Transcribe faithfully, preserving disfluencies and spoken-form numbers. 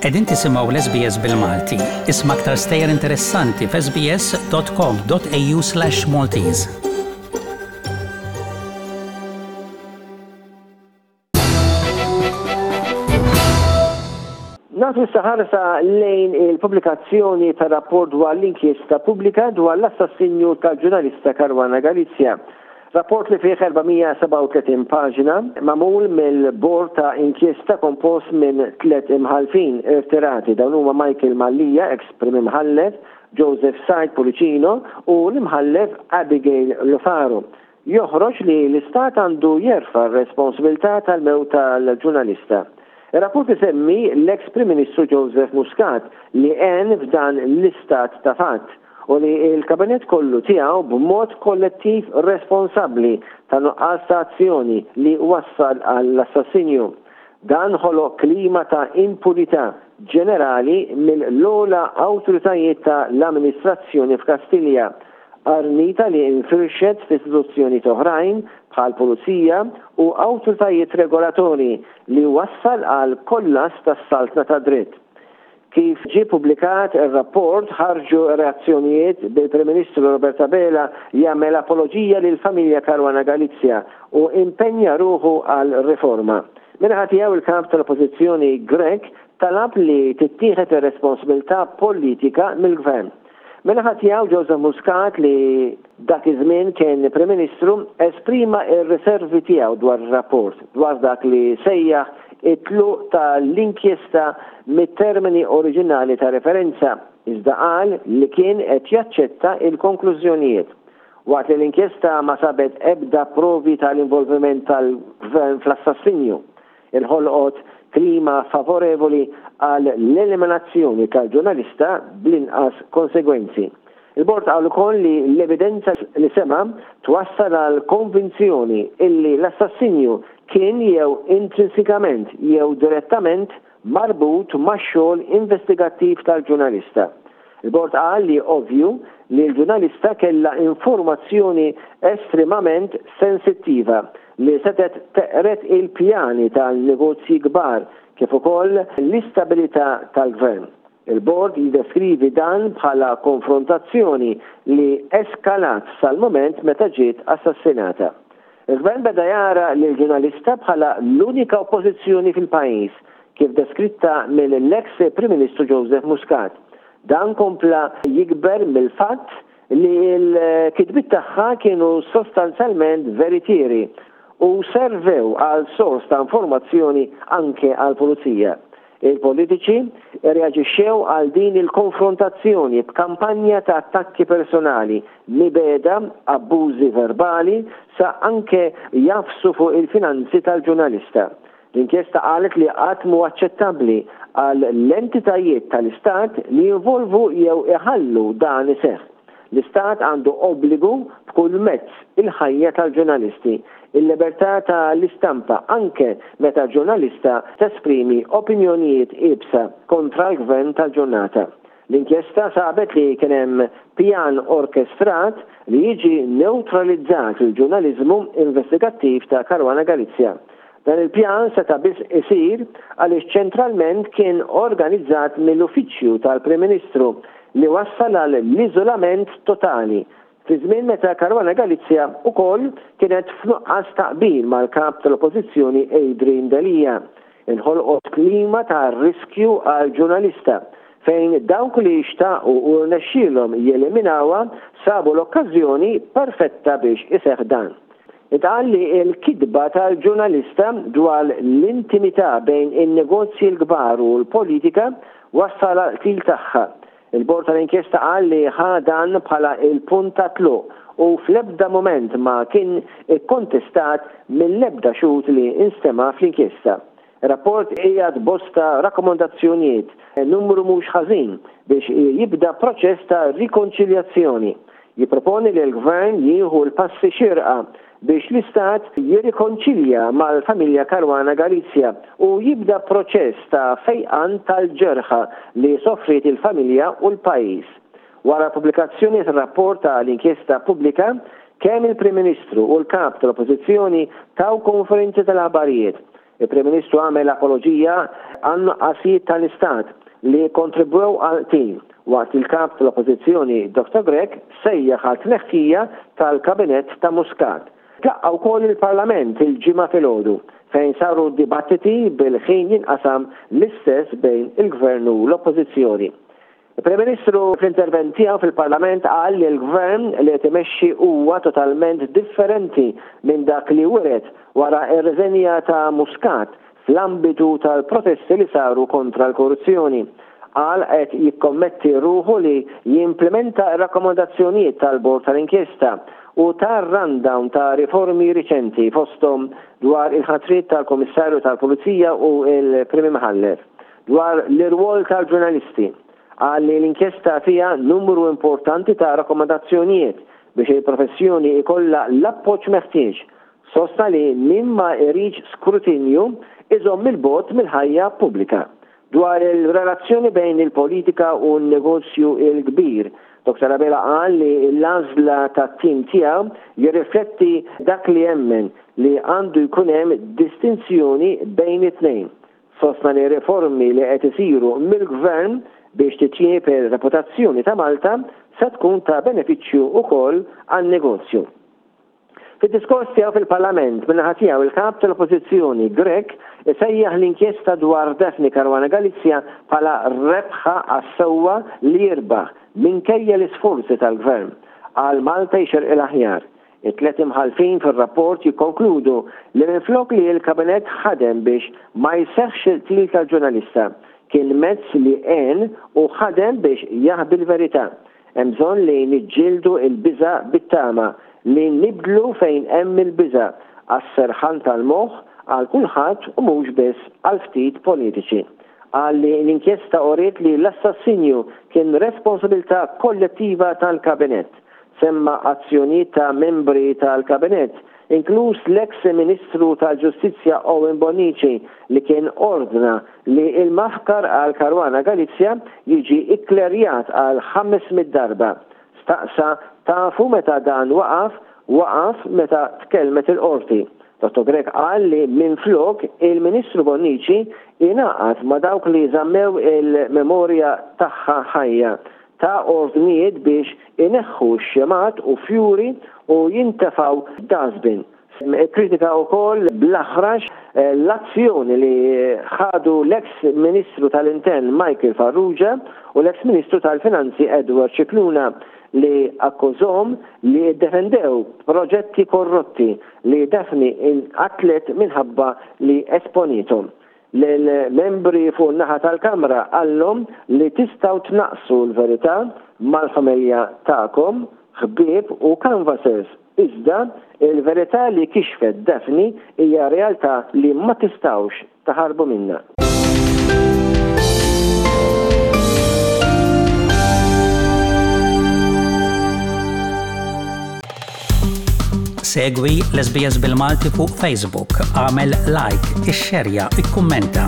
Qegħdin tisimgħu l-S B S bil-Malti. Isma' aktar stejjer interessanti f'S B S dot com dot A U slash Maltese. Nagħtu ħarsa lejn il-pubblikazzjoni ta' rapport dwar l-inkjesta pubblika dwar l-assassinju tal-ġurnalista Caruana Galizia. Rapport li fih erba' mija u sebgħa u tletin paġna, magħmul mill-bord ta' inkjesta kompost minn tliet imħalfin irtirati. Dawn huma Michael Mallia, ex prim imħallef, Joseph Said Pullicino u l-imħallef Abigail Lofaro. Joħroġ li l-Istat għandu jerfa' r-responsabilità tal-mewt tal-ġurnalista. Il-rapport isemmi l-ex Prim Ministru Joseph Muscat li għen f'dan l-istat ta' fatt u li il-kabinet kollu tiegħu b'mod kollettiv responsabbli ta' nuqqas ta' azzjoni li wassal għall-assassinju. Dan ħoloq klima ta' impunità ġenerali mill-ogħla awtoritajiet ta' l-amministrazzjoni f'Kastilja, qarnita li infirxet f'istituzzjoni oħrajn bħal pulizija u awtoritajiet regolatori, li wassal għal kollass tas-saltna ta' dritt. Kif ġie publikat ir-rapport, ħarġu reazzjonijiet, bil-Prim Ministru Robert Abela jagħmel apologija lil familja Caruana Galizia u impenja ruħu għal riforma. Min-naħa tiegħu, il-kap tal-Oppożizzjoni Grech talab li tittieħed ir-responsabilità politika mill-gvern. Min-naħa tiegħu, Joseph Muscat, li dak iż-żmien kien Prim Ministru, esprima ir-riservi tiegħu dwar ir-rapport, dwar dak li sejjaħ it-tluq tal-inkjesta mit-termini oriġinali ta' referenza, iżda qal li kien qed jaċċetta il-konklużjonijiet. Waqt li l-inkjesta ma sabet ebda provi tal-involviment tal-gvern fl-assassinju, inħolqot klima favorevoli għal l-eliminazzjoni tal-ġurnalista bl-inqas konsegwenzi. Il-bord qal ukoll li l-evidenza li sema twassal għal konvinzjoni illi l-assassinju kien jew intrinsikament jew direttament marbut max-xogħol investigattiv tal-ġurnalista. Il-bord qal li ovvju li l-ġurnalista kella informazzjoni estremament sensittiva li setet teqret il-pjani tal-negozji kbar kif ukoll l-istabilità tal-gvern. Il-bord jiddeskrivi dan bħala konfrontazzjoni li eskalat sal-moment meta ġiet assassinata. Il-gvern beda jara l-ġurnalista bħala l-unika oppożizzjoni fil-pajjiż, kif deskritta mill-ex Prim Ministru Joseph Muscat. Dan kompla jikber mill-fatt li l-kitbiet tagħha kienu sostanzjalment veritieri u servew għal sors ta' informazzjoni anke għal pulizija. Il-politiċi reaġixxew għal din il-konfrontazzjoni b'kampanja ta' attakki personali, mibegħda, abbużi verbali, sa anke jagħfsu fuq il-finanzi tal-ġurnalista. L-inkjesta qalet li qatt mhu aċċettabbli għal l-entitajiet tal-Istat li jinvolvu jew iħallu dan iseħħ. L-Istat għandu obbligu b'kull mezz il-ħajja tal-ġurnalisti, il-libertà tal-istampa, anke meta ġurnalista tesprimi opinjonijiet iebsa kontra l-gvern tal-ġurnata. L-inkjesta sabet li kien hemm pjan orkestrat li jiġi neutralizzat il-ġurnalizmu investigattiv ta' Caruana Galizia. Dan il-pjan seta' biss isir għaliex ċentralment kien organizzat mill-Uffiċċju tal-Prim Ministru, li wassal għal l-iżolament totali fi żmien meta Caruana Galizia ukoll kienet f'nuqqas taqbil mal-kap tal-Oppożizzjoni Adrian Delia. Inħolqot klima ta' riskju għal ġurnalista fejn dawk li xtaqu u rnexxielhom jeliminawha sabu l-okkażjoni perfetta biex iseħħ dan. Intqal li l-kitba tal-ġurnalista dwar l-intimità bejn in-negozji l-kbar u l-politika wassal qtil tagħha. Il-bord tal-inkjesta qal li ħa dan bħala il-punt ta' tluq u fl-ebda moment ma kien ikkontestat mill-ebda xhud li instema fl-inkjesta. Rapport qiegħed bosta rakkomandazzjonijiet, numru mhux ħażin, biex jibda proċess ta' rikonċiljazzjoni. Jipproponi li l-gvern jieħu l-passi xirqa biex l-istat jirrikonċilja mal-familja Caruana Galizia u jibda proċess ta' fejqan tal-ġerħa li soffrit il-familja u l-pajjiż. Wara pubblikazzjoni tal-rapport tal-inkjesta pubblika, kemm il-Prim Ministru u l-kap tal-Oppożizzjoni taw konferenzi tal-aħbarijiet. Il-Prim Ministru għamel apoloġija għan-nuqqasijiet tal-Istat li kontribwew għall-qtil, waqt il-kap tal-Oppożizzjoni Dottor Grech sejjaħ għal tneħħija tal-Kabinett ta' Muscat. Tlaqqa' wkoll il-Parlament il-Ġimgħa filgħodu fejn saru dibattiti bil-ħin jinqasam l-istess bejn il-Gvern u l-Oppożizzjoni. Il-Prim Ministru fl-intervent tiegħu fil-Parlament qal li l-Gvern li qed imexxi huwa totalment differenti minn dak li wiret wara r-riżenja ta' Muscat fl-ambitu tal-protesti li saru kontra l-korruzzjoni. Qal qed jikkommetti ruħu li jimplementa r-rakkomandazzjonijiet tal-Bord tal-Inkjesta u tar-rundown ta' riformi riċenti fosthom dwar il-ħatriet tal-Kummissarju tal-Pulizija u l-Prim Imħallef. Dwar l-irwol tal-ġurnalisti, qal li l-inkjesta fiha numru importanti ta' rakkomandazzjonijiet biex il-professjoni ikollha l-appoġġ meħtieġ. Sostna li min ma jridx skrutinju iżomm il-bogħod mill-ħajja pubblika. Dwar il-relazzjoni bejn il-politika u n-negozju l-kbir, Dottor Abela qal li l-għażla tat-tim tiegħu jirrifletti dak li jemmen li għandu jkun hemm distinzjoni bejn it-tnejn. Sostna li riformi li qed isiru mill-Gvern biex titjieb ir-reputazzjoni ta' Malta se tkun ta' benefiċċju wkoll għan-negozju. Fid-diskors tiegħu fil-Parlament, min-naħa tiegħu il-Kap tal-Oppożizzjoni Grech isejjaħ l-inkjesta dwar Daphne Caruana Galizia bħala rebħa għas-sewwa li jirbaħ minkejja l-isforzi tal-Gvern. Qal Malta jxerqilha aħjar. It-tliet imħallfin fir-rapport jikkonkludu li minflok li l-Kabinett ħadem biex ma jseħħx il-qtil tal-ġurnalista, kien mezz li għen u ħadem biex jaħbi l-verità. Hemm bżonn li niġġieldu l-biża' bit-tama, li nibdlu fejn hemm il-biża' għas-serħan tal-moħħ għal kulħadd u mhux biss għal ftit politiċi. Qal li l-inkjesta uriet li l-assassinju kien responsabilità kollettiva tal-Kabinett. Semma azzjonijiet ta' membri tal-Kabinett, inkluż l-eks Ministru tal-Ġustizzja Owen Bonnici li kien ordna li l-maħkar għal Caruana Galizia jiġi ikklerjat għal ħames mitt darba. Staqsa tafu meta dan waqaf? Waqaf meta tkellmet il-qorti. Dottor Grech qal li minflok il-Ministru Bonnici ingħaqad ma' dawk li żammew il-memorja tagħha ħajja, ta' ordnijiet biex ineħħu x-xemgħat u fjuri u jintefgħu dustbin. Ikkritika wkoll bl-aħrax l-azzjoni li ħadu l-eks Ministru tal-Intern Michael Farrugia u l-eks Ministru tal-Finanzi Edward Scicluna li akkużhom li ddefendew proġetti korrotti li Daphne inqatlet minħabba li esponithom. Lill-membri fuq in-naħa tal-Kamra qallhom li tistgħu tnaqqsu l-verità mal-familja tagħkom, ħbieb u canvassers, iżda il-verità li kixfet Daphne hija realtà li ma tistgħux taħarbu minnha. Segwi l-S B S bil-Malti fuq Facebook, għamel like, ixxerja, ikkummenta.